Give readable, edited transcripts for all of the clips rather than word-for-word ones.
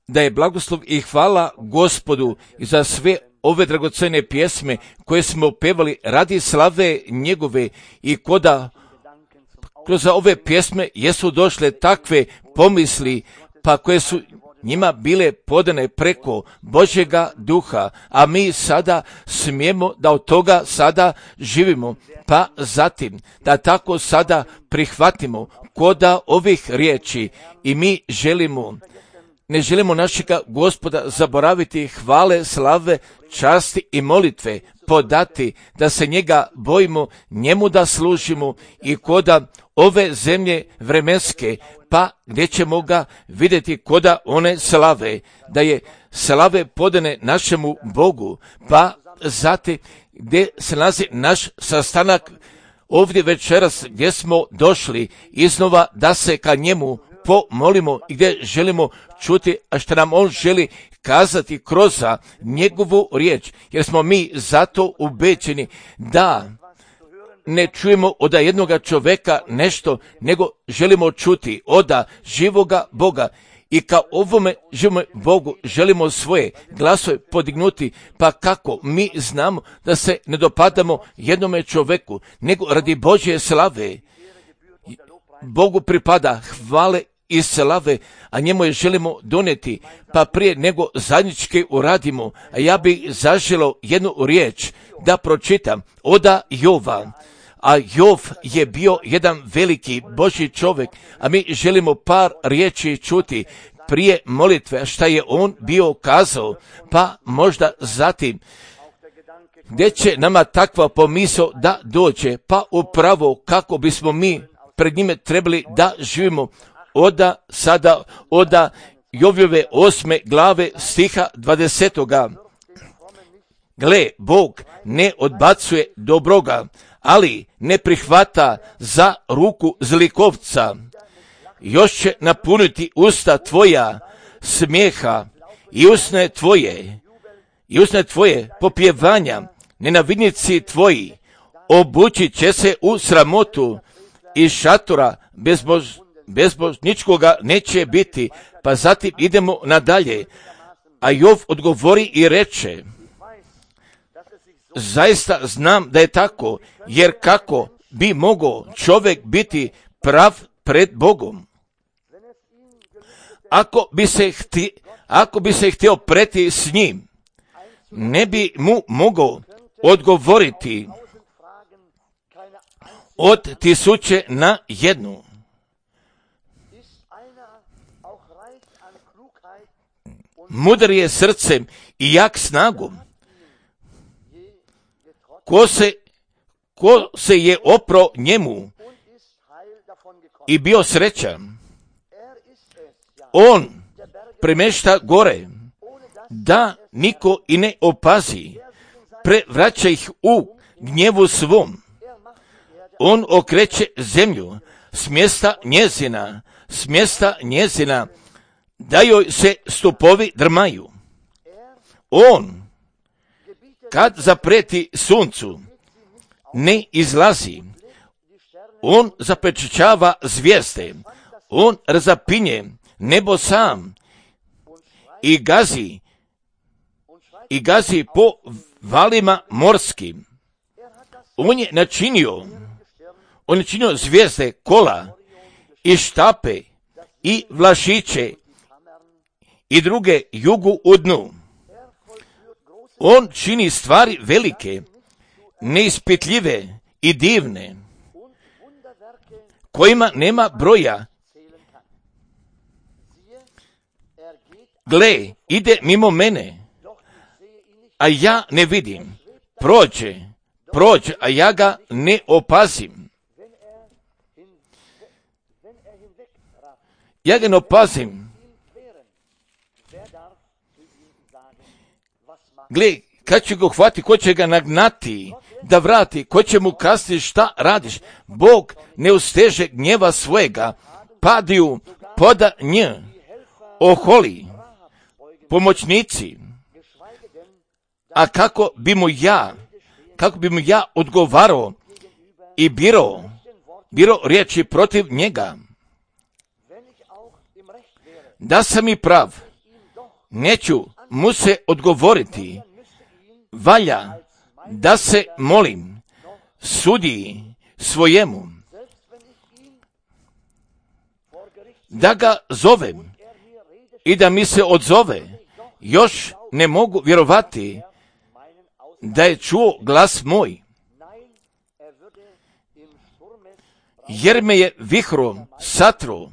da je blagoslov i hvala Gospodu i za sve ove dragocene pjesme koje smo pevali radi slave njegove i koda kroz ove pjesme jesu došle takve pomisli pa koje su njima bile podane preko Božjega duha, a mi sada smijemo da od toga sada živimo, pa zatim da tako sada prihvatimo koda ovih riječi i mi ne želimo našega Gospoda zaboraviti, hvale, slave, časti i molitve podati, da se njega bojimo, njemu da služimo i koda ove zemlje vremenske, pa gdje ćemo ga vidjeti koda one slave, da je slave podane našemu Bogu, pa zatim gdje se nalazi naš sastanak ovdje večeras gdje smo došli iznova da se ka njemu pomolimo i gdje želimo čuti, a što nam on želi kazati kroz njegovu riječ, jer smo mi zato ubeđeni da ne čujemo od jednoga čovjeka nešto, nego želimo čuti od živoga Boga i ka ovome živome Bogu želimo svoje glasove podignuti, pa kako mi znamo da se ne dopadamo jednome čovjeku, nego radi Božje slave. Bogu pripada hvale i slave, a njemu je želimo donijeti, pa prije nego zajednički uradimo, a ja bih zaželio jednu riječ da pročitam od Jova. A Jov je bio jedan veliki Božji čovjek, a mi želimo par riječi čuti prije molitve šta je on bio kazao, pa možda zatim gdje će nama takva pomisao da dođe, pa upravo kako bismo mi pred njime trebali da živimo od Jovljove 8. glave stiha 20. Gle, Bog ne odbacuje dobroga, ali ne prihvata za ruku zlikovca. Još će napuniti usta tvoja smijeha i usne tvoje popjevanja, nenavidnici tvoji obući će se u sramotu i šatora bezbožničkoga neće biti. Pa zatim idemo nadalje. A Jov odgovori i reče, zaista znam da je tako, jer kako bi mogao čovjek biti prav pred Bogom? Ako bi se htio preti s njim, ne bi mu mogao odgovoriti od 1000 na 1. Mudar je srcem i jak snagom. Ko se je opro njemu i bio srećan, on premješta gore, da niko i ne opazi, prevraća ih u gnjevu svom. On okreće zemlju s mjesta njezina, da joj se stupovi drmaju. On, kad zapreti suncu, ne izlazi. On zapečaćava zvijezde, on razapinje nebo sam i gazi po valima morskim. On je načinio zvijezde, kola i štape i vlašiće i druge jugu u dnu. On čini stvari velike, neispitljive i divne, kojima nema broja. Gle, ide mimo mene, a ja ne vidim. Prođe, a ja ga ne opazim. Gle, kad će ga uhvati, ko će ga nagnati, da vrati, ko će mu kazati šta radiš? Bog ne usteže gnjeva svojega, padiju poda nj, oholi, pomoćnici. A kako bi mu ja odgovarao i biro riječi protiv njega? da sam i prav, neću mu se odgovoriti, valja da se molim sudiji svojemu, da ga zovem i da mi se odzove. Još ne mogu vjerovati da je čuo glas moj, jer me je vihrom satro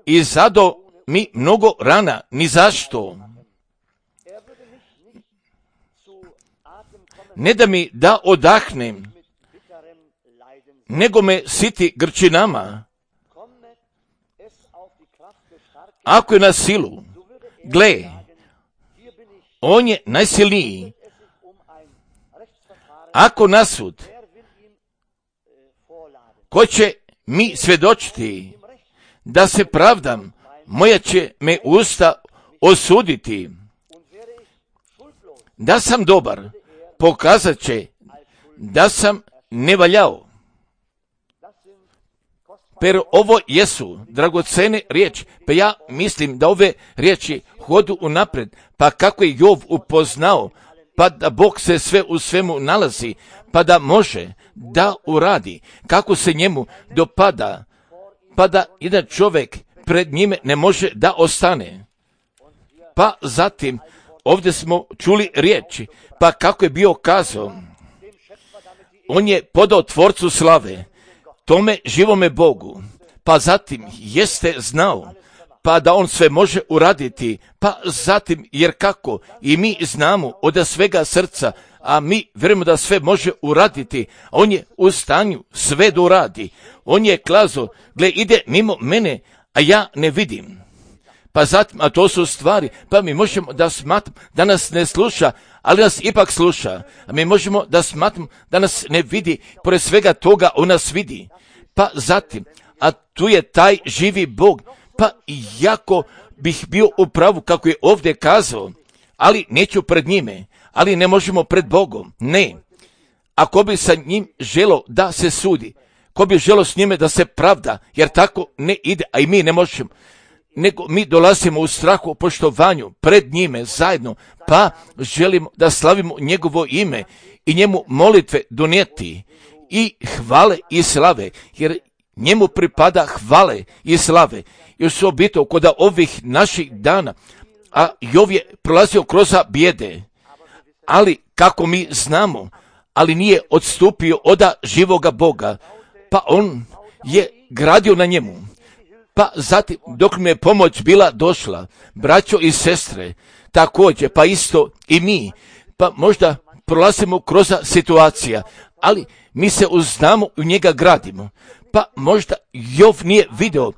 i zado mi mnogo rana, ni zašto. Ne da mi da odahnem, nego me siti grčinama. Ako je na silu, gle, on je najsilniji. Ako na sud, ko će mi svjedočiti da se pravdam, moja će me usta osuditi. Da sam dobar, pokazat će da sam nevaljao. Pero ovo jesu dragocene riječi, pa ja mislim da ove riječi hodu unaprijed, pa kako je Jov upoznao, pa da Bog se sve u svemu nalazi, pa da može da uradi kako se njemu dopada, pa da jedan čovjek pred njime ne može da ostane. Pa zatim ovdje smo čuli riječi, pa kako je bio kazao, on je podao Tvorcu slave, tome živome Bogu, pa zatim jeste znao, pa da on sve može uraditi, pa zatim jer kako i mi znamo od svega srca, a mi vjerujemo da sve može uraditi, a on je u stanju sve da uradi. On je kazao, gle, ide mimo mene, a ja ne vidim. Pa zatim, a to su stvari, pa mi možemo da smatramo da nas ne sluša, ali nas ipak sluša. A mi možemo da smatramo da nas ne vidi, pored svega toga on nas vidi. Pa zatim, a tu je taj živi Bog, pa jako bih bio u pravu kako je ovdje kazao, ali neću pred njime, ali ne možemo pred Bogom, ne. Ako bi sa njim želo da se sudi, ko bi želo s njime da se pravda, jer tako ne ide, a i mi ne možemo, nego mi dolazimo u strahu, poštovanju pred njime zajedno, pa želimo da slavimo njegovo ime i njemu molitve donijeti i hvale i slave, jer njemu pripada hvale i slave. I osobito kod ovih naših dana, a Jov je prolazio kroz bijede, ali kako mi znamo, ali nije odstupio od živoga Boga, pa on je gradio na njemu. Pa zatim, dok mi je pomoć bila došla, braćo i sestre, također, pa isto i mi, pa možda prolazimo kroz situacija, ali mi se uznamo u njega gradimo. Pa možda Jov nije video,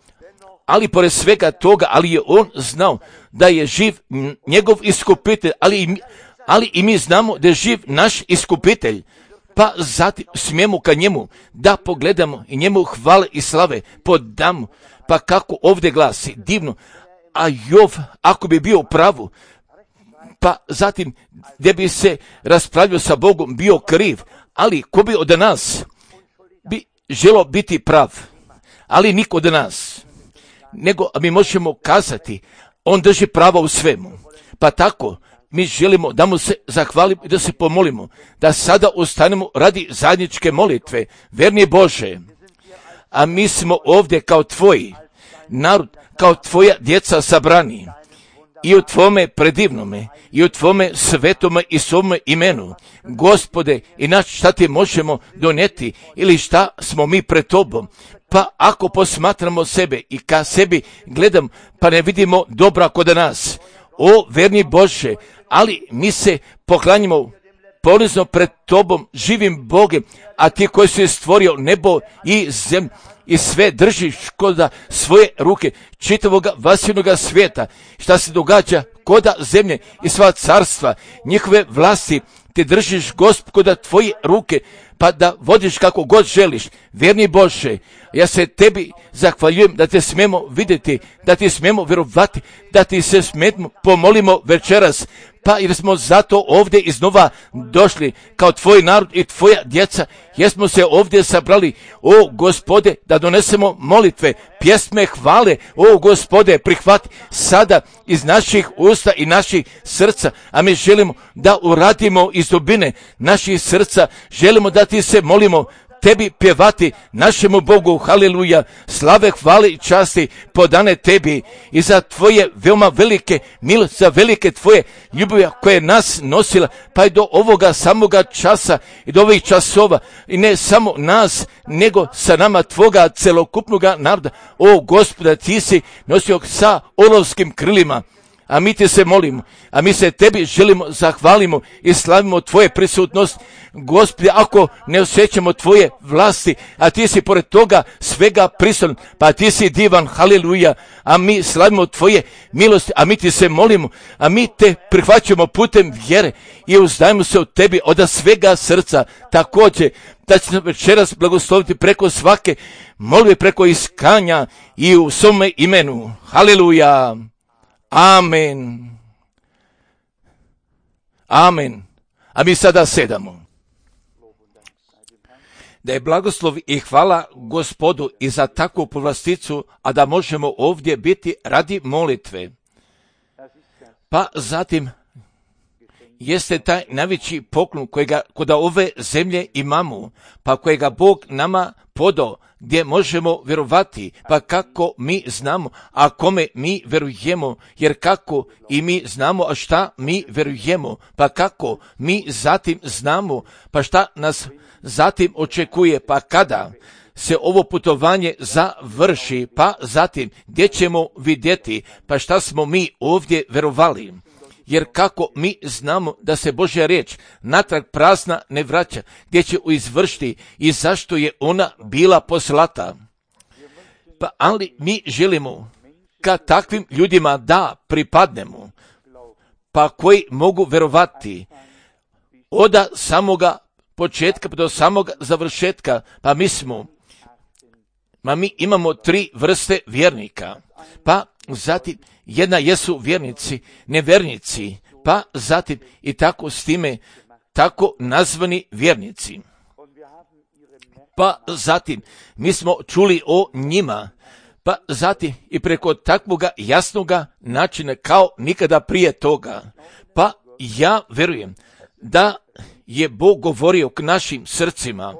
ali pored svega toga, ali je on znao da je živ njegov iskupitelj, ali i mi znamo da je živ naš iskupitelj. Pa zatim smijemo ka njemu da pogledamo i njemu hvale i slave podamo. Pa kako ovdje glasi, divno, a Jov ako bi bio u pravu, pa zatim gdje bi se raspravljao sa Bogom bio kriv, ali ko bi od nas bi želo biti prav, ali niko od nas, nego mi možemo kazati, on drži pravo u svemu. Pa tako mi želimo da mu se zahvalimo i da se pomolimo, da sada ustanemo radi zajedničke molitve, verni Bože, a mi smo ovdje kao tvoji narod, kao tvoja djeca sabrani i u tvome predivnome i u tvome svetome i svome imenu. Gospode, i šta ti možemo donijeti ili šta smo mi pred tobom? Pa ako posmatramo sebe i ka sebi gledam, pa ne vidimo dobra kod nas. O verni Bože, ali mi se poklanjamo ponizno pred tobom, živim Bogem, a ti koji si stvorio nebo i zemlju i sve držiš kod svoje ruke čitavog vasivnog svijeta, šta se događa kod zemlje i sva carstva, njihove vlasti, ti držiš, Gospod, kod tvoje ruke, pa da vodiš kako god želiš. Verni Bože, Ja se tebi zahvaljujem da te smemo vidjeti, da ti smemo vjerovati, da ti se smemo pomolimo večeras. Pa jer smo zato ovdje iznova došli kao tvoj narod i tvoja djeca, jer smo se ovdje sabrali, o Gospode, da donesemo molitve, pjesme hvale, o Gospode, prihvati sada iz naših usta i naših srca, a mi želimo da uradimo iz dubine naših srca, želimo da ti se molimo, tebi pjevati, našemu Bogu, haleluja, slave, hvale i časti podane tebi i za tvoje veoma velike milosti, za velike tvoje ljubavi koje je nas nosila, pa i do ovoga samoga časa i do ovih časova i ne samo nas, nego sa nama tvoga celokupnoga naroda. O Gospoda, ti si nosio sa olovskim krilima. A mi ti se molimo, a mi se tebi želimo, zahvalimo i slavimo tvoje prisutnost. Gospodи, ako ne osjećamo tvoje vlasti, a ti si pored toga svega prisutan, pa ti si divan, haleluja, a mi slavimo tvoje milosti, a mi ti se molimo, a mi te prihvaćamo putem vjere i uzdajemo se od tebi od svega srca. Također, da će nas večeras blagosloviti preko svake molbe, preko iskanja i u svome imenu. Haleluja. Amen. Amen. A mi sada sedamo. Da je blagoslov i hvala Gospodu i za takvu povlasticu, a da možemo ovdje biti radi molitve. Pa zatim jeste taj najveći poklon kojega kod ove zemlje imamo, pa kojega Bog nama podao, gdje možemo vjerovati, pa kako mi znamo, a kome mi vjerujemo, jer kako i mi znamo, a šta mi vjerujemo, pa kako mi zatim znamo, pa šta nas zatim očekuje, pa kada se ovo putovanje završi, pa zatim gdje ćemo vidjeti, pa šta smo mi ovdje vjerovali. Jer kako mi znamo da se Božja riječ natrag prazna ne vraća, gdje će izvršiti i zašto je ona bila poslata. Pa ali mi želimo ka takvim ljudima da pripadnemo, pa koji mogu vjerovati od samoga početka do samog završetka, pa mi imamo 3 vrste vjernika, pa zatim jedna jesu vjernici, nevjernici, pa zatim i tako s time tako nazvani vjernici. Pa zatim mi smo čuli o njima, pa zatim i preko takvoga jasnoga načina kao nikada prije toga. Pa ja vjerujem da je Bog govorio k našim srcima,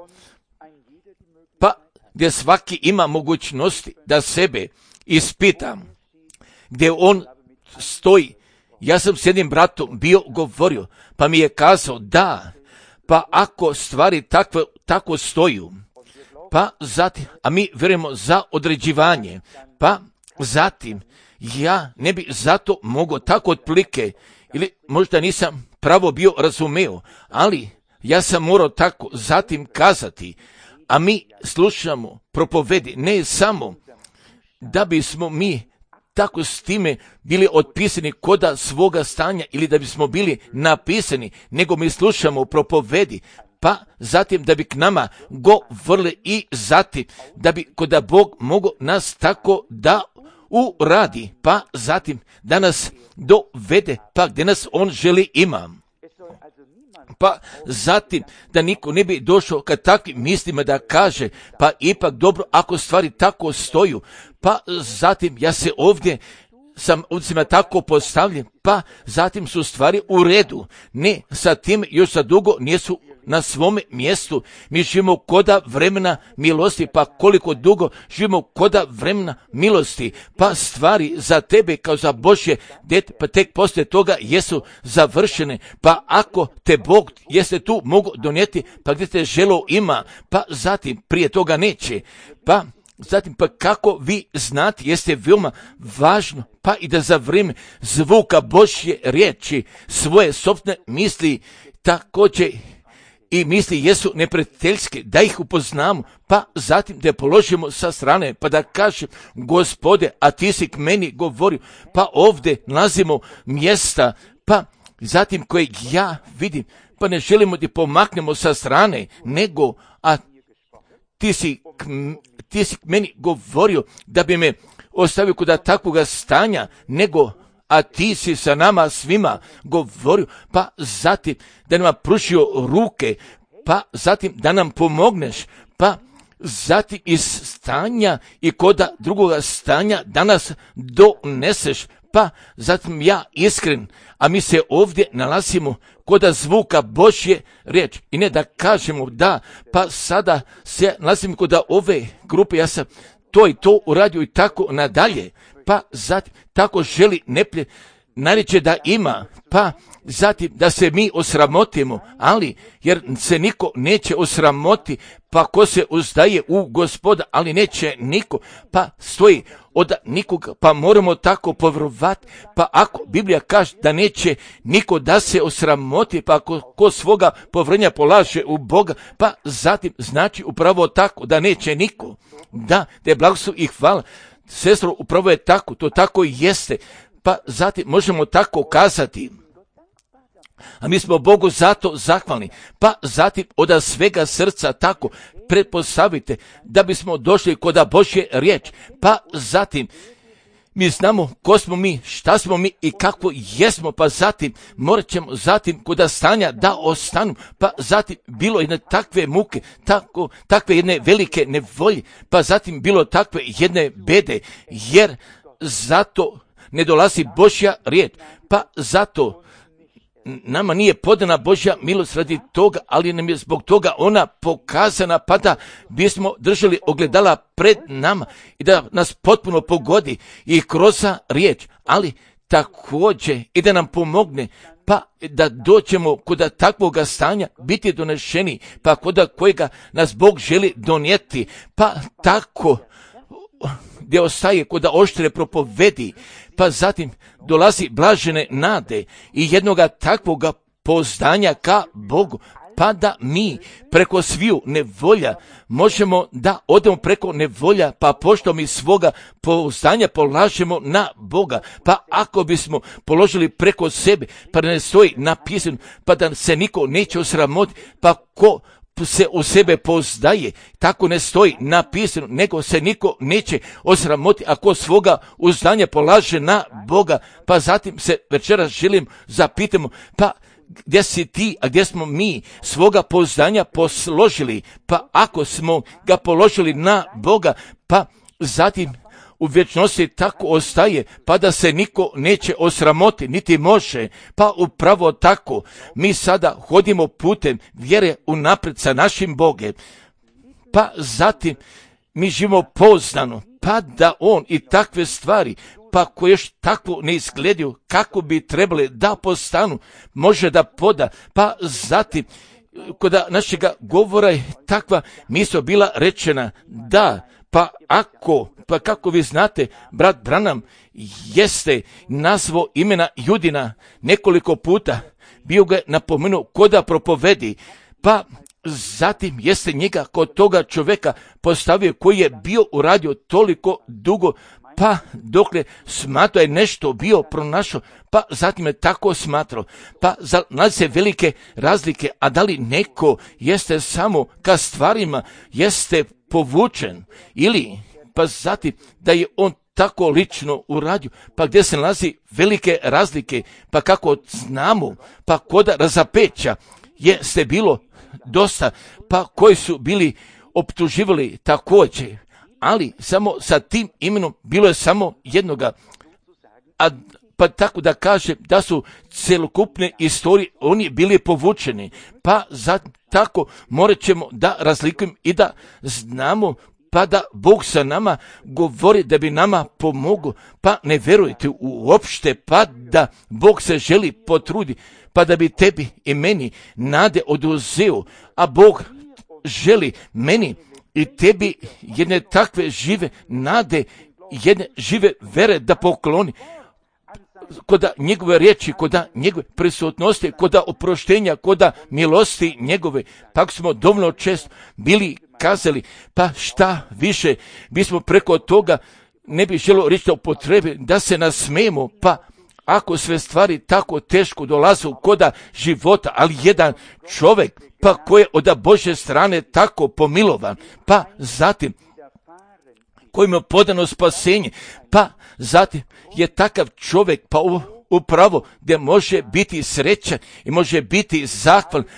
pa gdje svaki ima mogućnosti da sebe ispita, gdje on stoji. Ja sam s jednim bratom bio govorio, pa mi je kazao da, pa ako stvari tako stoju, pa zatim, a mi vjerujemo za određivanje, pa zatim ja ne bi zato mogao tako otplike, ili možda nisam pravo bio razumeo, ali ja sam morao tako zatim kazati, a mi slušamo propovedi ne samo da bismo mi tako s time bili otpisani koda svoga stanja ili da bismo bili napisani, nego mi slušamo propovedi, pa zatim da bi k nama govorili i zatim da bi koda Bog mogo nas tako da uradi, pa zatim da nas dovede, pa gdje nas on želi ima. Pa zatim da niko ne bi došao kad takvim mislima da kaže, pa ipak dobro ako stvari tako stoju, pa zatim ja se ovdje sam ovdje tako postavljen, pa zatim su stvari u redu. Ne, sa tim još za dugo nisu na svome mjestu. Mi živimo koda vremena milosti, pa koliko dugo živimo koda vremena milosti, pa stvari za tebe kao za Božje dete, pa tek poslije toga jesu završene, pa ako te Bog jeste tu mogu donijeti, pa gdje te želo ima, pa zatim prije toga neće, pa zatim, pa kako vi znate, jeste veoma važno, pa i da za vrijeme zvuka Božje riječi svoje sopstvene misli također i misli jesu neprijateljske, da ih upoznamo, pa zatim da je položimo sa strane, pa da kažem, Gospode, a ti si k meni govorio, pa ovdje nalazimo mjesta, pa zatim koje ja vidim, pa ne želimo da pomaknemo sa strane, nego, a ti ti si meni govorio da bi me ostavio kod takvoga stanja, a ti si sa nama svima govorio, pa zatim da nam pružio ruke, pa zatim da nam pomogneš, pa zatim iz stanja i koda drugoga stanja da nas doneseš, pa zatim ja iskren, a mi se ovdje nalazimo koda zvuka Božje riječ i ne da kažemo da, pa sada se nalazimo koda ove grupe, ja sam to i to uradio i tako nadalje, pa zatim tako želi neplje najreće da ima, pa zatim da se mi osramotimo, ali jer se niko neće osramoti, pa ko se uzdaje u Gospoda, ali neće niko, pa stoji od nikoga, pa moramo tako povjerovati, pa ako Biblija kaže da neće niko da se osramoti, pa ko svoga povjerenja polaže u Boga, pa zatim znači upravo tako da neće niko, da je blagoslov i hvala. Sestro, upravo je tako, to tako i jeste, pa zatim možemo tako kazati. A mi smo Bogu zato zahvalni, pa zatim od svega srca tako pretpostavite da bismo došli kod Božje riječ, pa zatim mi znamo ko smo mi, šta smo mi i kako jesmo, pa zatim morat ćemo zatim kod stanja da ostanu, pa zatim bilo jedne takve muke, takve jedne velike nevolje, pa zatim bilo takve jedne bede, jer zato ne dolazi Božja riječ, pa zato nama nije podana Božja milost radi toga, ali nam je zbog toga ona pokazana, pa da bismo držali ogledala pred nama i da nas potpuno pogodi i kroz riječ, ali također i da nam pomogne, pa da doćemo kod takvoga stanja biti donešeni, pa kod kojega nas Bog želi donijeti, pa tako gdje ostaje kod oštre propovedi, pa zatim dolazi blažene nade i jednoga takvoga pouzdanja ka Bogu, pa da mi preko sviju nevolja možemo da odemo preko nevolja, pa pošto mi svoga pouzdanja polažemo na Boga, pa ako bismo položili preko sebe, pa da ne stoji napisano, pa da se niko neće osramotiti, pa ko se u sebe pouzdaje, tako ne stoji napisano, nego se niko neće osramoti ako svoga uzdanja polaže na Boga, pa zatim se večeras želim zapitamo, pa gdje si ti, a gdje smo mi svoga pouzdanja posložili, pa ako smo ga položili na Boga, pa zatim u vječnosti tako ostaje, pa da se niko neće osramoti, niti može, pa upravo tako mi sada hodimo putem vjere unaprijed sa našim Bogom, pa zatim mi živimo pouzdano, pa da on i takve stvari, pa koje još tako ne izgledaju kako bi trebali da postanu, može da poda, pa zatim kod našega govora je takva misao bila rečena da, pa kako vi znate, brat Branham jeste nazvao imena Judina nekoliko puta, bio ga napomenuo koda propovedi, pa zatim jeste njega kod toga čovjeka postavio koji je bio uradio toliko dugo, pa dokle smatrao je nešto bio pronašao, pa zatim je tako smatrao, pa nalazi se velike razlike, a da li neko jeste samo ka stvarima, jeste povučen, ili pa zatim da je on tako lično uradio, pa gdje se nalazi velike razlike, pa kako znamo, pa kod razapeća jeste bilo dosta, pa koji su bili optuživali također, ali samo sa tim imenom bilo je samo jednoga, pa tako da kaže da su celokupne istorije oni bili povučeni, pa tako morat ćemo da razlikujemo i da znamo, pa da Bog sa nama govori da bi nama pomogao, pa ne verujte uopšte, pa da Bog se želi potrudi, pa da bi tebi i meni nade oduzeo, a Bog želi meni i tebi jedne takve žive nade, jedne žive vere da pokloni, koda njegove riječi, koda njegove prisutnosti, koda oproštenja, koda milosti njegove. Tako smo dovoljno često bili kazali, pa šta više bismo preko toga ne bi želo reći o potrebi da se nasmijemo, pa ako sve stvari tako teško dolaze koda života, ali jedan čovjek, pa koji je od Božje strane tako pomilovan, pa zatim kojima je podano spasenje, pa zatim je takav čovjek, pa upravo gdje može biti srećan i može biti zahvalan,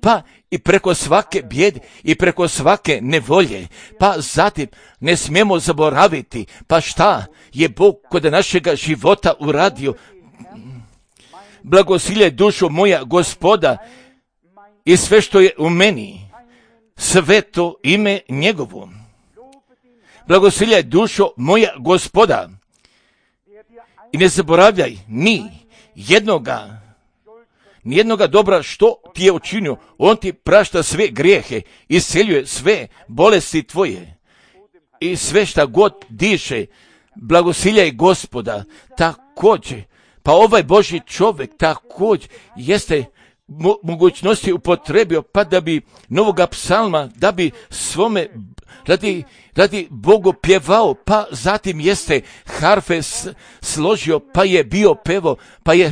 pa i preko svake bijede i preko svake nevolje. Pa zatim ne smijemo zaboraviti, pa šta je Bog kod našega života uradio. Blagosiljaj dušo moja Gospoda i sve što je u meni, sveto ime njegovo. Blagosiljaj dušo moja Gospoda i ne zaboravljaj nijednoga dobra što ti je učinio. On ti prašta sve grijehe, isceljuje sve bolesti tvoje i sve šta god diše. Blagosiljaj Gospoda. Također, pa ovaj Božji čovjek također jeste mogućnosti upotrebio, pa da bi novoga psalma, da bi svome radi Bogu pjevao, pa zatim jeste harfe složio, pa je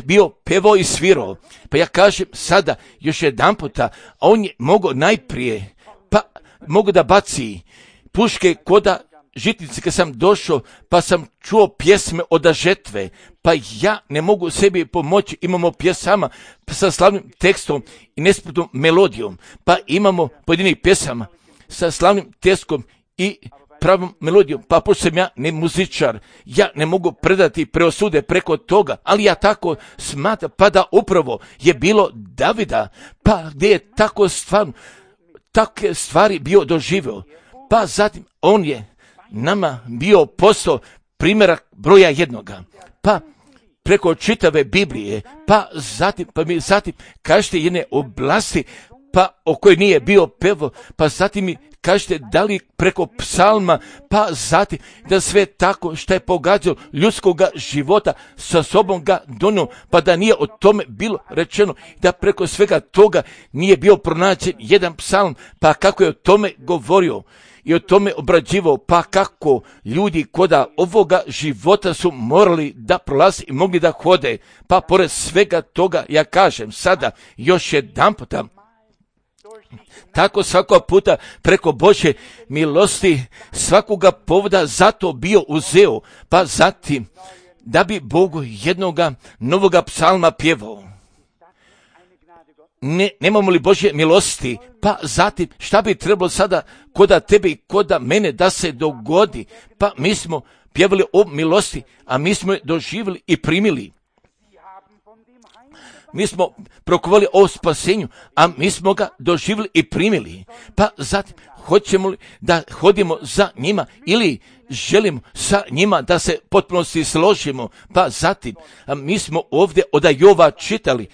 bio pevo i svirao. Pa ja kažem sada još jedan puta, on je mogao najprije, pa mogu da baci puške koda žitnice kad sam došao, pa sam čuo pjesme od žetve, pa ja ne mogu sebi pomoći, imamo pjesama sa slavnim tekstom i nespretnom melodijom, pa imamo pojedinih pjesama sa slavnim tekstom i pravom melodijom, pa pošto sam ja ne muzičar, ja ne mogu predati preosude preko toga, ali ja tako smatram, pa da upravo je bilo Davida, pa gdje je tako takve stvari bio doživio, pa zatim on je nama bio postao primjerak broja jednoga, pa preko čitave Biblije, pa mi zatim kažete jedne oblasti, pa o kojoj nije bio pevo, pa zatim mi kažete da li preko psalma, pa zatim da sve tako što je pogađalo ljudskoga života sa sobom ga donio, pa da nije o tome bilo rečeno, da preko svega toga nije bio pronađen jedan psalm, pa kako je o tome govorio i o tome obrađivao, pa kako ljudi koda ovoga života su morali da prolazi i mogli da hode, pa pored svega toga ja kažem sada još jedan puta, tako svakog puta preko Božje milosti svakoga povoda zato bio uzeo, pa zatim da bi Bogu jednoga novoga psalma pjevao. Nemamo li Božje milosti, pa zatim šta bi trebalo sada koda tebe i koda mene da se dogodi, pa mi smo pjevali o milosti, a mi smo je doživjeli i primili. Mi smo prokovali o spasenju, a mi smo ga doživjeli i primili. Pa zatim, hoćemo li da hodimo za njima ili želimo sa njima da se potpunosti složimo? Pa zatim, mi smo ovdje od Jova čitali,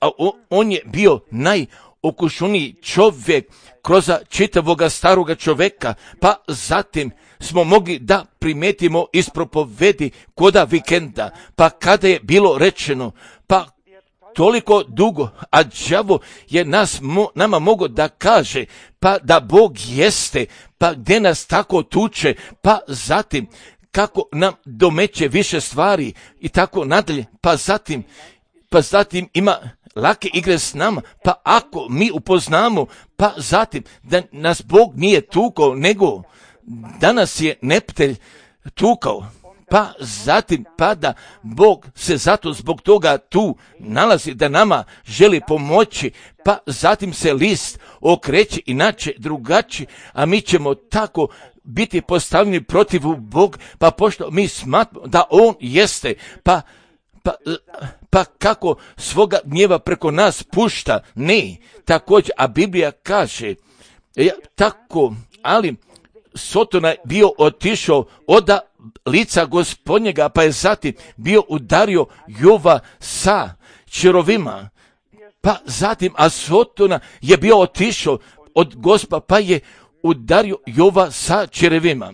a on je bio najokušeniji čovjek kroz čitavoga staroga čovjeka, pa zatim smo mogli da primetimo iz propovedi koda vikenda, pa kada je bilo rečeno, pa toliko dugo, a đavo je nama mogao da kaže, pa da Bog jeste, pa gdje nas tako tuče, pa zatim kako nam domeće više stvari i tako nadalje, pa zatim ima lake igre s nama, pa ako mi upoznamo, pa zatim da nas Bog nije tukao, nego danas je neptelj tukao, pa zatim da Bog se zato zbog toga tu nalazi, da nama želi pomoći, pa zatim se list okreće inače drugačije, a mi ćemo tako biti postavljeni protiv Boga, pa pošto mi smatramo da On jeste, pa kako svoga gnjeva preko nas pušta, ne, također, a Biblija kaže, tako, ali Sotona je bio otišao od lica Gospodnjega, pa je zatim bio udario Jova sa čerovima, pa zatim, a Sotona je bio otišao od Gospa, pa je udario Jova sa čerevima.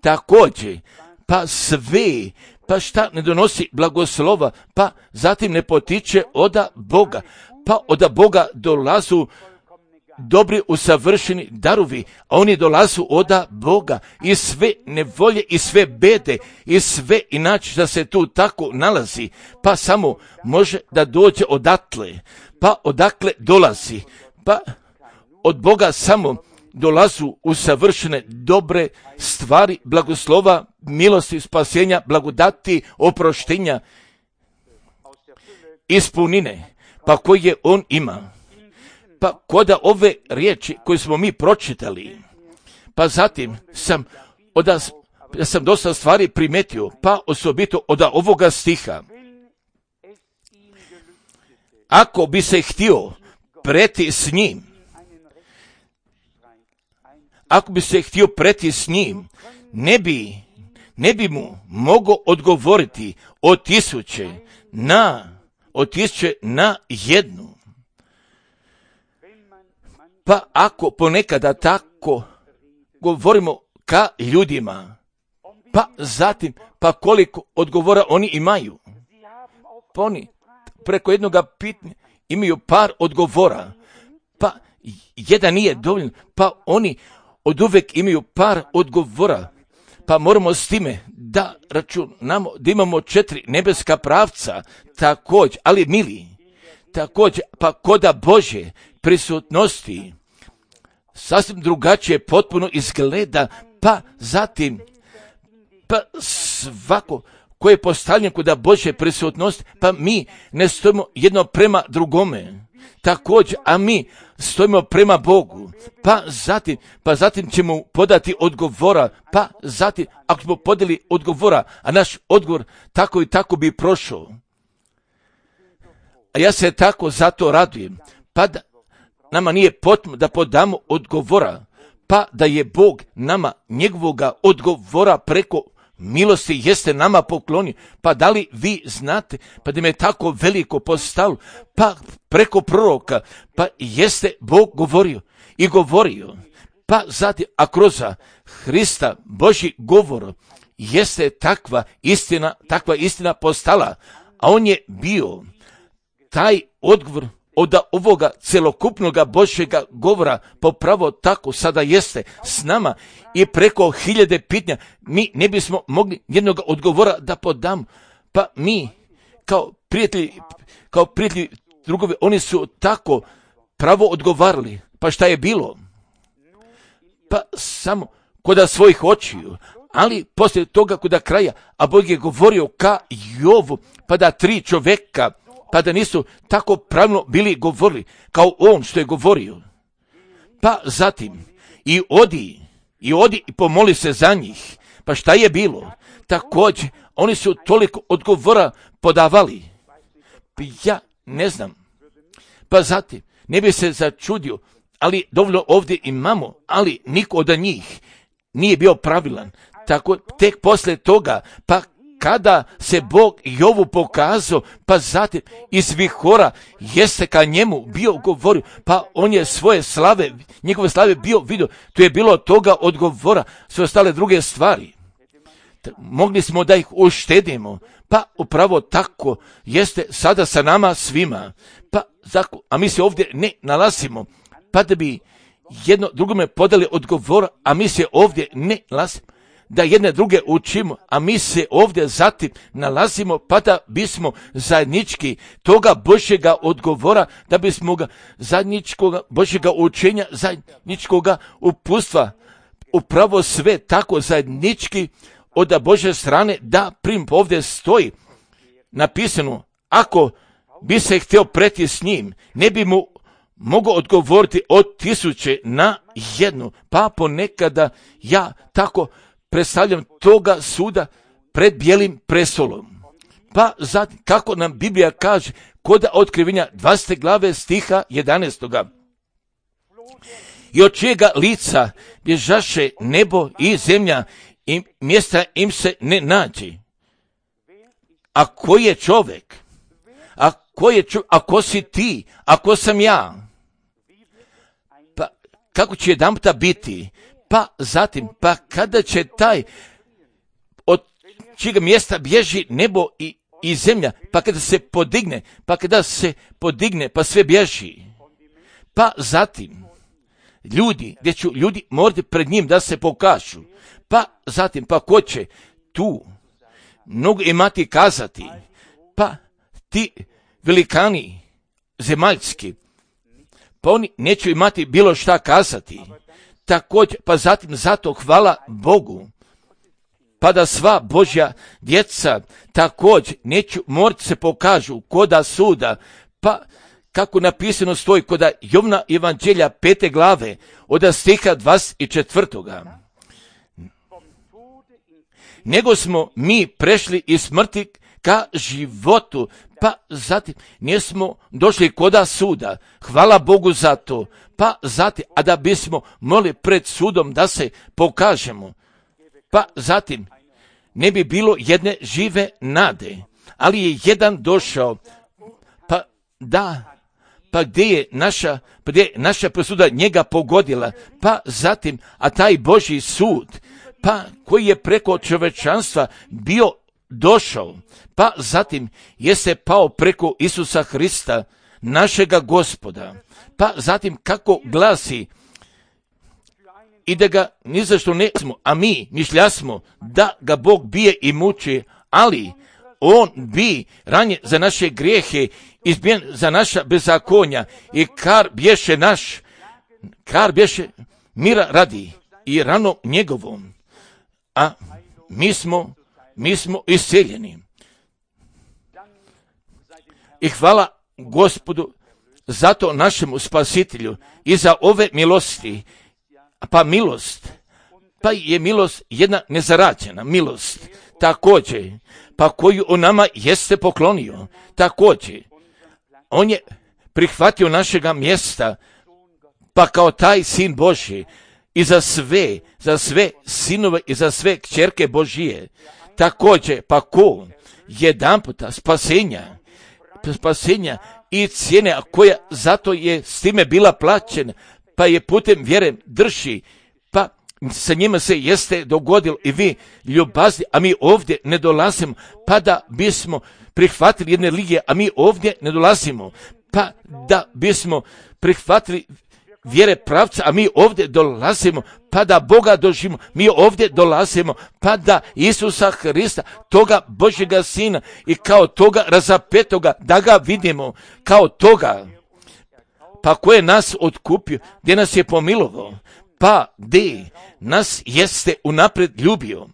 Također, pa sve, pa šta ne donosi blagoslova, pa zatim ne potiče od Boga, pa od Boga dolazu dobri usavršeni darovi, a oni dolazu od Boga i sve nevolje i sve bede i sve inače da se tu tako nalazi, pa samo može da dođe odatle, pa odakle dolazi, pa od Boga samo dolazu u savršene dobre stvari, blagoslova, milosti, spasenja, blagodati, oproštenja, ispunine, pa koje on ima. Pa koda ove riječi koje smo mi pročitali, pa zatim sam dosta stvari primetio, pa osobito od ovoga stiha. Ako bi se htio preti s njim, ne bi mu mogao odgovoriti od tisuće na jednu. Pa ako ponekada tako govorimo ka ljudima, pa zatim, pa koliko odgovora oni imaju. Pa oni preko jednoga pitanja imaju par odgovora, pa jedan nije dovoljno, pa oni od uvek imaju par odgovora, pa moramo s time da računamo da imamo 4 nebeska pravca, također, ali mili, također, pa koda Božje prisutnosti sasvim drugačije potpuno izgleda, pa zatim, pa svako koje je postavljeno kod Božje prisutnosti, pa mi ne stojimo jedno prema drugome, također, a mi stojimo prema Bogu, pa zatim ćemo podati odgovora, pa zatim, ako smo podali odgovora, a naš odgovor tako i tako bi prošao. A ja se tako zato radujem, pa da nama nije potrebno da podamo odgovora, pa da je Bog nama njegovoga odgovora preko milosti jeste nama poklonio. Pa da li vi znate, pa da me tako veliko postavilo, pa preko proroka, pa jeste Bog govorio, pa zatim, a kroz Hrista Božji govor jeste takva istina postala, a on je bio taj odgovor od ovoga celokupnoga Božjega govora, popravo tako sada jeste s nama i preko 1000 pitanja mi ne bismo mogli jednog odgovora da podamo. Pa mi kao prijatelji drugovi, oni su tako pravo odgovarali. Pa šta je bilo? Pa samo koda svojih očiju, ali poslije toga koda kraja, a Bog je govorio ka Jovu, pa da 3 čoveka, pa da nisu tako pravilno bili govorili, kao on što je govorio. Pa zatim, i odi i pomoli se za njih. Pa šta je bilo? Također, oni su toliko odgovora podavali. Ja ne znam. Pa zatim, ne bi se začudio, ali dovoljno ovdje imamo, ali niko od njih nije bio pravilan. Tako, tek poslije toga, pa kada se Bog Jovu pokazao, pa zatim iz vihora jeste ka njemu bio govorio, pa on je njegove slave bio vidio, tu je bilo toga odgovora, sve ostale druge stvari. Mogli smo da ih uštedimo, pa upravo tako jeste sada sa nama svima, a mi se ovdje ne nalazimo, pa da bi jedno drugome podali odgovor, a mi se ovdje ne nalazimo, da jedne druge učimo, a mi se ovdje zatim nalazimo, pa da bismo zajednički toga Božjega odgovora, da bismo ga zajedničkoga Božjega učenja, zajedničkoga uputstva, upravo sve tako zajednički od Božje strane, da prim ovdje stoji napisano, ako bi se htio preti s njim, ne bi mu mogu odgovoriti od 1000 na jednu, pa ponekada ja tako predstavljam toga suda pred bijelim prestolom. Pa zatim, kako nam Biblija kaže, kod Otkrivenja 20. glave stiha 11. I od čijega lica bježaše nebo i zemlja i mjesta im se ne nađe. A ko je čovjek? A ko si ti? A ko sam ja? Pa kako će jedanputa biti? Pa zatim, pa kada će taj od čijega mjesta bježi nebo i zemlja, pa kada se podigne, pa sve bježi. Pa zatim, gdje će ljudi morati pred njim da se pokažu. Pa zatim, pa ko će tu mnogo imati kazati? Pa ti velikani zemaljski, pa oni neće imati bilo šta kazati. također, pa zatim zato hvala Bogu, pa da sva Božja djeca također neću morati se pokažu koda suda, pa kako napisano stoji koda Jovna evanđelja 5. glave od stiha 24. Nego smo mi prešli iz smrti ka životu, pa zatim nismo došli koda suda. Hvala Bogu za to. Pa zatim, a da bismo mogli pred sudom da se pokažemo. Pa zatim, ne bi bilo jedne žive nade, ali je jedan došao, pa da, pa gdje je naša presuda njega pogodila, pa zatim, a taj Božji sud, pa koji je preko čovječanstva bio došao, pa zatim jeste pao preko Isusa Hrista, našega Gospoda, pa zatim kako glasi, i da ga ni zašto ne smo, a mi mišljasmo da ga Bog bije i muči, ali on bi ranjen za naše grijehe, izbijen za naša bezakonja i kar bješe mira radi i rano njegovom, a mi smo iseljeni. I hvala Gospodu zato našemu Spasitelju i za ove milosti. Pa milost, pa je milost jedna nezarađena milost, također, pa koju on nama jeste poklonio, također, on je prihvatio našega mjesta, pa kao taj sin Božji i za sve sinove i za sve kćerke Božije, također, pa ko jedanputa spasenja i cijene koja zato je s time bila plaćena, pa je putem vjere drži, pa sa njima se jeste dogodilo i vi ljubazni, a mi ovdje ne dolazimo, pa da bismo prihvatili jedne religije, a mi ovdje ne dolazimo, pa da bismo prihvatili vjere pravca, a mi ovdje dolazimo, pa da Boga doživimo, mi ovdje dolazimo, pa da Isusa Hrista, toga Božjega Sina i kao toga razapetoga, da ga vidimo kao toga, pa ko je nas otkupio, gdje nas je pomilovao, pa gdje nas jeste unaprijed ljubio.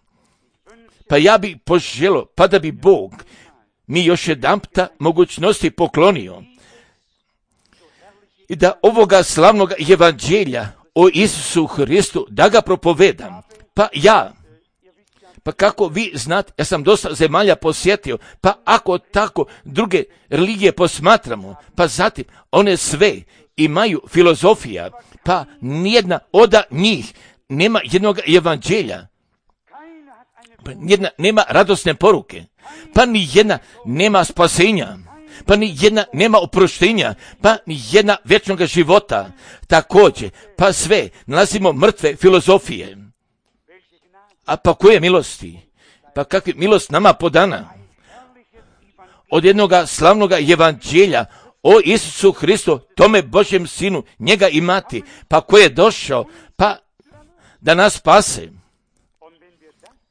Pa ja bi poželio, pa da bi Bog mi još jedanputa mogućnosti poklonio i da ovoga slavnog evanđelja o Isusu Hristu, da ga propovedam. Pa kako vi znate, ja sam dosta zemalja posjetio, pa ako tako druge religije posmatramo, pa zatim one sve imaju filozofija, pa nijedna od njih nema jednog evanđelja, pa nijedna nema radosne poruke, pa nijedna nema spasenja, pa nijedna nema oproštenja, pa nijedna vječnog života, također, pa sve nalazimo mrtve filozofije. A pa koje milosti? Pa kakva milost nama podana? Od jednoga slavnoga evanđelja o Isusu Hristu, tome Božjem Sinu, njega imati, pa ko je došao, pa da nas spase.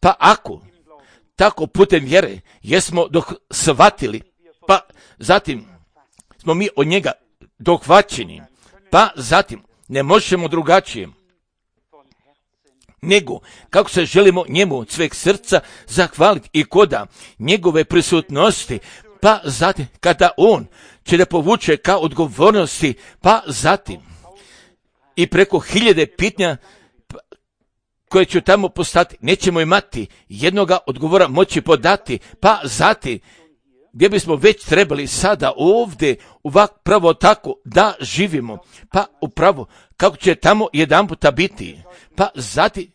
Pa ako tako putem vjere jesmo shvatili, pa zatim smo mi od njega dohvaćeni, pa zatim ne možemo drugačije nego kako se želimo njemu od sveg srca zahvaliti i koda njegove prisutnosti, pa zatim kada on će da povuče ka odgovornosti, pa zatim i preko 1000 pitanja koje ću tamo postati, nećemo imati jednoga odgovora moći podati, pa zatim gdje bismo već trebali sada ovdje pravo tako da živimo, pa upravo kako će tamo jedanputa biti, pa zatim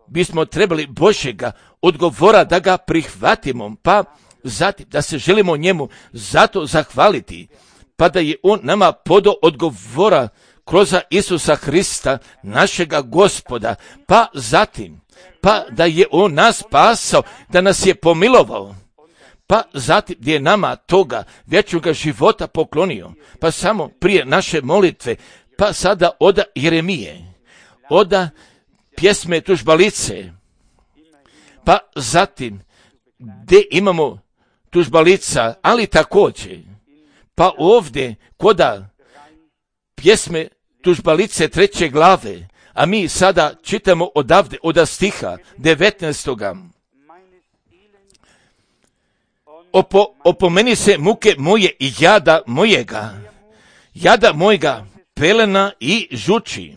bismo trebali Božjega odgovora da ga prihvatimo, pa zatim da se želimo njemu zato zahvaliti, pa da je on nama podao odgovora kroz Isusa Hrista, našega Gospoda, pa zatim, pa da je on nas spasao, da nas je pomilovao, pa zatim gdje je nama toga vječnoga života poklonio, pa samo prije naše molitve, pa sada od Jeremije, od pjesme Tužbalice, pa zatim gdje imamo tužbalica, ali također, pa ovdje koda pjesme Tužbalice 3. glave, A mi sada čitamo odavde, od stiha 19. Opomeni se muke moje i jada mojega, pelena i žuči.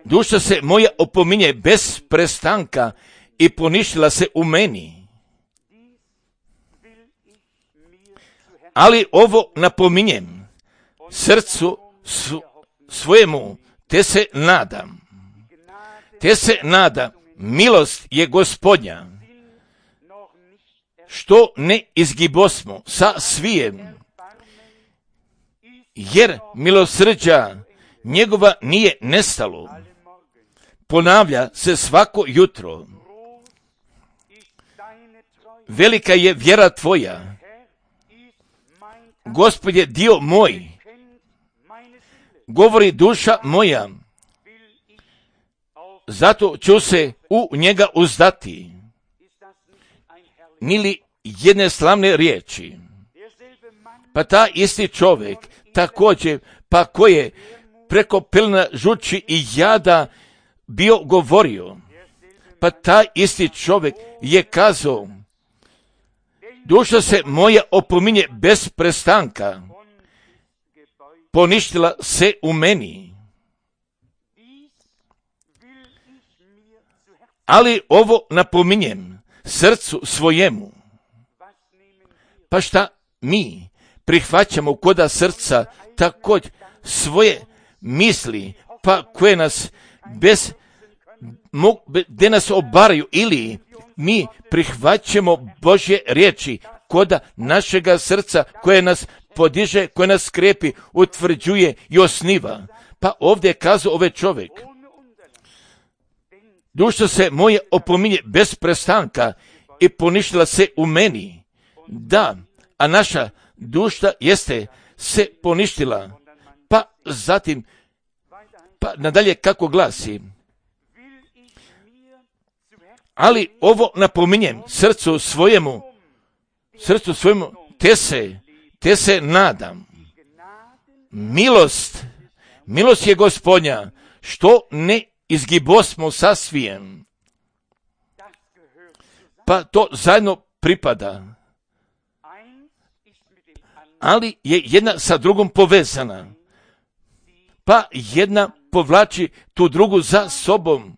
Duša se moja opominje bez prestanka i poništila se u meni. Ali ovo napominjem srcu svojemu, te se nada, milost je Gospodnja, što ne izgibosmo sa svijem, jer milosrđa njegova nije nestalo, ponavlja se svako jutro. Velika je vjera tvoja, Gospod je dio moj, govori duša moja, zato ću se u njega uzdati. Nili jedne slavne riječi. Pa ta isti čovjek također, pa ko je preko pelena žuči i jada bio govorio, pa taj isti čovjek je kazao, duša se moja opominje bez prestanka, poništila se u meni. Ali ovo napominjem srcu svojemu. Pa šta mi prihvaćamo koda srca također svoje misli, pa koje nas gdje nas obaraju, ili mi prihvaćamo Božje riječi koda našega srca koje nas podiže, koje nas skrepi, utvrđuje i osniva. Pa ovdje je kazao ovaj čovjek, duša se moje opominje bez prestanka i poništila se u meni. Da, a naša duša jeste se poništila. Pa zatim, pa nadalje kako glasi, ali ovo napominjem srcu svojemu, te se nadam. Milost je Gospodnja, što ne izgibosmo sa svijem. Pa to zajedno pripada. Ali je jedna sa drugom povezana. Pa jedna povlači tu drugu za sobom.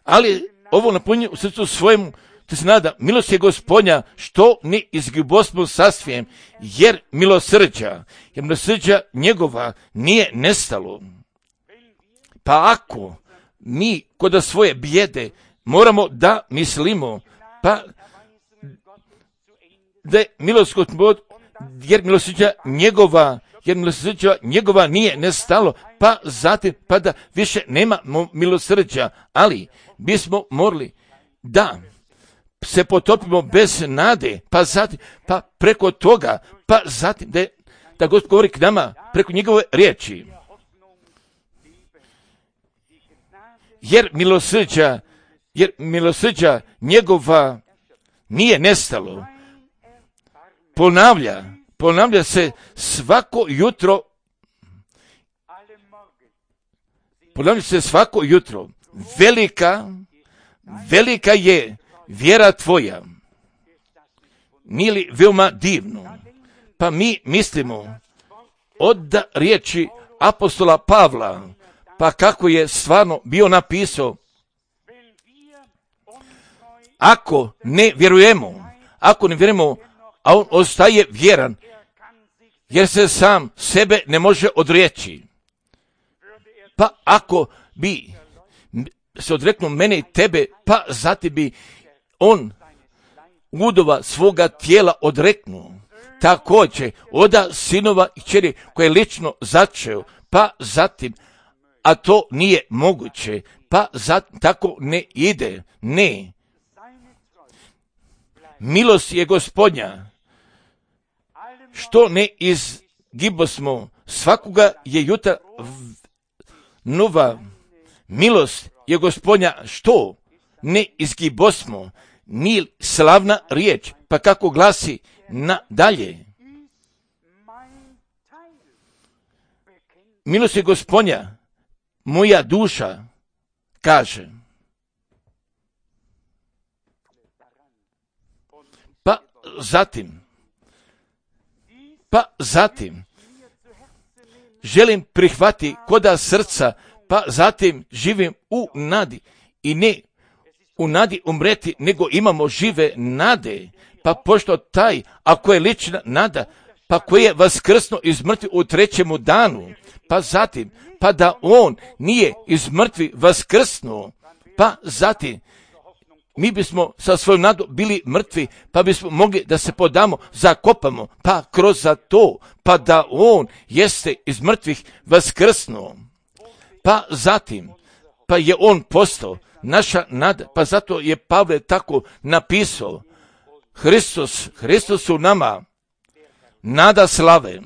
Ali ovo napominje u srcu svojemu, te se nada, milost je Gospodnja, što ne izgibosmo sa svijem, jer milosrđa njegova nije nestalo. Pa ako mi kod svoje bijede moramo da mislimo, pa da je milost Gospod, jer milosrđa njegova nije nestalo, pa zatim, pa da više nema milosrđa, ali bismo morali da se potopimo bez nade, pa zatim, pa preko toga, pa zatim da Gospod govori k nama preko njegove riječi. Jer milosrđa njegova nije nestalo. Ponavlja se svako jutro. Velika je vjera tvoja. Nije li veoma divno? Pa mi mislimo od riječi apostola Pavla, pa kako je stvarno bio napisao, ako ne vjerujemo, a on ostaje vjeran, jer se sam sebe ne može odreći. Pa ako bi se odreknuo mene i tebe, pa zatim bi on udova svoga tijela odreknuo. Također, oda sinova i kćeri koje je lično začeo, pa zatim, a to nije moguće, pa zatim tako ne ide, ne. Milost je Gospodnja, što ne izgibosmo, svakoga je jutra nova. Milost je Gospodnja, što ne izgibosmo, ni slavna riječ, pa kako glasi nadalje. milosti Gospodnja, moja duša kaže. Pa zatim, želim prihvati koda srca, pa zatim živim u nadi i ne u nadi umreti, nego imamo žive nade. Pa pošto taj, ako je lična nada, pa koji je vaskrsno iz mrtvi u trećemu danu, pa zatim, pa da on nije iz mrtvi vaskrsnuo, pa zatim, mi bismo sa svojom nadom bili mrtvi, pa bismo mogli da se podamo, zakopamo, pa kroz za to, pa da on jeste iz mrtvih vaskrsnuo. Pa zatim, pa je on postao naša nada, pa zato je Pavle tako napisao, Hristos u nama, nada slave.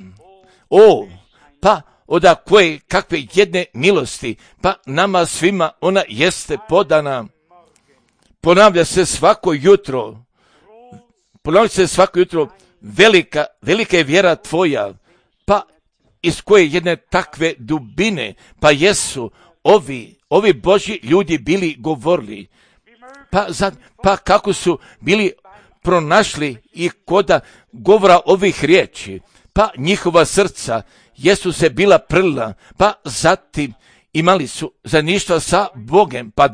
Pa od koje kakve jedne milosti, pa nama svima ona jeste podana. Ponavlja se svako jutro, velika je vjera tvoja, pa iz koje jedne takve dubine, pa jesu ovi Božji ljudi bili govorili, pa kako su bili pronašli i koda govora ovih riječi, pa njihova srca jesu se bila prlila, pa zatim imali su zajedništva sa Bogom, pa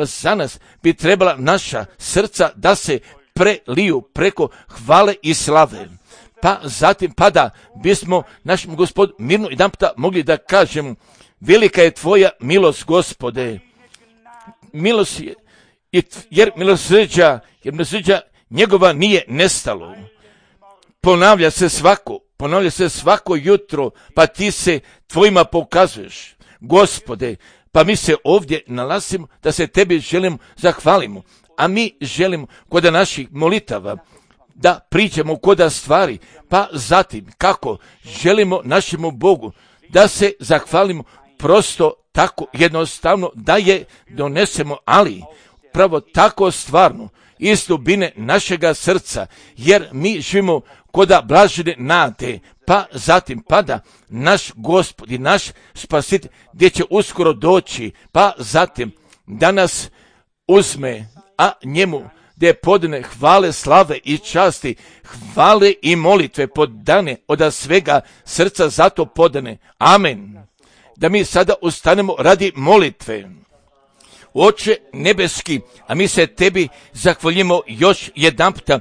za nas bi trebala naša srca da se preliju preko hvale i slave. Pa zatim, pa da bismo našem Gospodu mirno jedan puta mogli da kažemo, velika je tvoja milost, Gospode. Milost je, jer milosrđa njegova nije nestalo. Ponavlja se svako jutro, pa ti se tvojima pokazuješ, Gospode. Pa mi se ovdje nalazimo da se tebi želimo zahvalimo, a mi želimo kod naših molitava da priđemo kod stvari, pa zatim kako želimo našemu Bogu da se zahvalimo prosto tako jednostavno da je donesemo, ali pravo tako stvarno iz dubine našega srca, jer mi živimo koda blažene nade, pa zatim pada naš Gospod i naš Spasitelj gdje će uskoro doći, pa zatim da nas uzme, a njemu gdje podane hvale, slave i časti, hvale i molitve podane od svega srca zato podane. Amen. Da mi sada ustanemo radi molitve. Oče nebeski, a mi se tebi zahvaljujemo još jedan puta.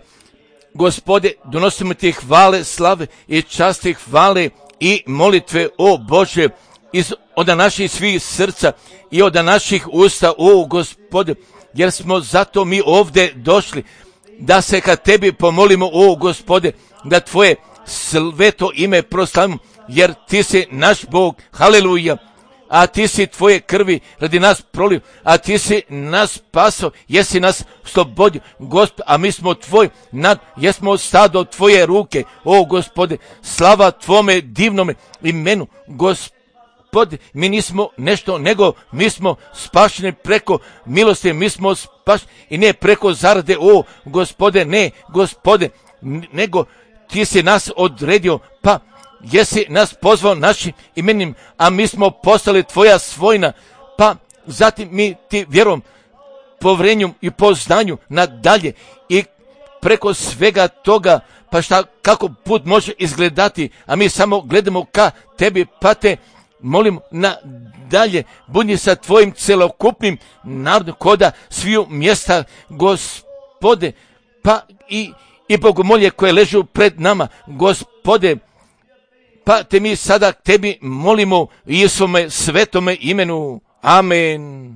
Gospode, donosimo ti hvale, slave i časti, hvale i molitve, o Bože, od naših svih srca i od naših usta, o Gospode, jer smo zato mi ovdje došli, da se kad tebi pomolimo, o Gospode, da tvoje sveto ime proslavimo, jer ti si naš Bog, haleluja, a ti si tvoje krvi radi nas prolio, a ti si nas spaso, jesi nas slobodio, Gospod, a mi smo tvoj jesmo stado tvoje ruke, o Gospode, slava tvome divnome imenu, Gospode, mi nismo nešto, nego mi smo spašeni preko milosti, mi smo spašeni i ne preko zarade, o Gospode, ne, Gospode, nego ti si nas odredio, pa jesi nas pozvao našim imenim, a mi smo postali tvoja svojina, pa zatim mi ti vjerom, povrenjom i poznanju nadalje i preko svega toga, pa kako put može izgledati, a mi samo gledamo ka tebi, pa te molim nadalje, budi sa tvojim celokupnim narodom koda sviju mjesta, Gospode, pa i bogomolje koje ležu pred nama, Gospode, pa te mi sada tebi molimo u Isuvome svetome imenu. Amen.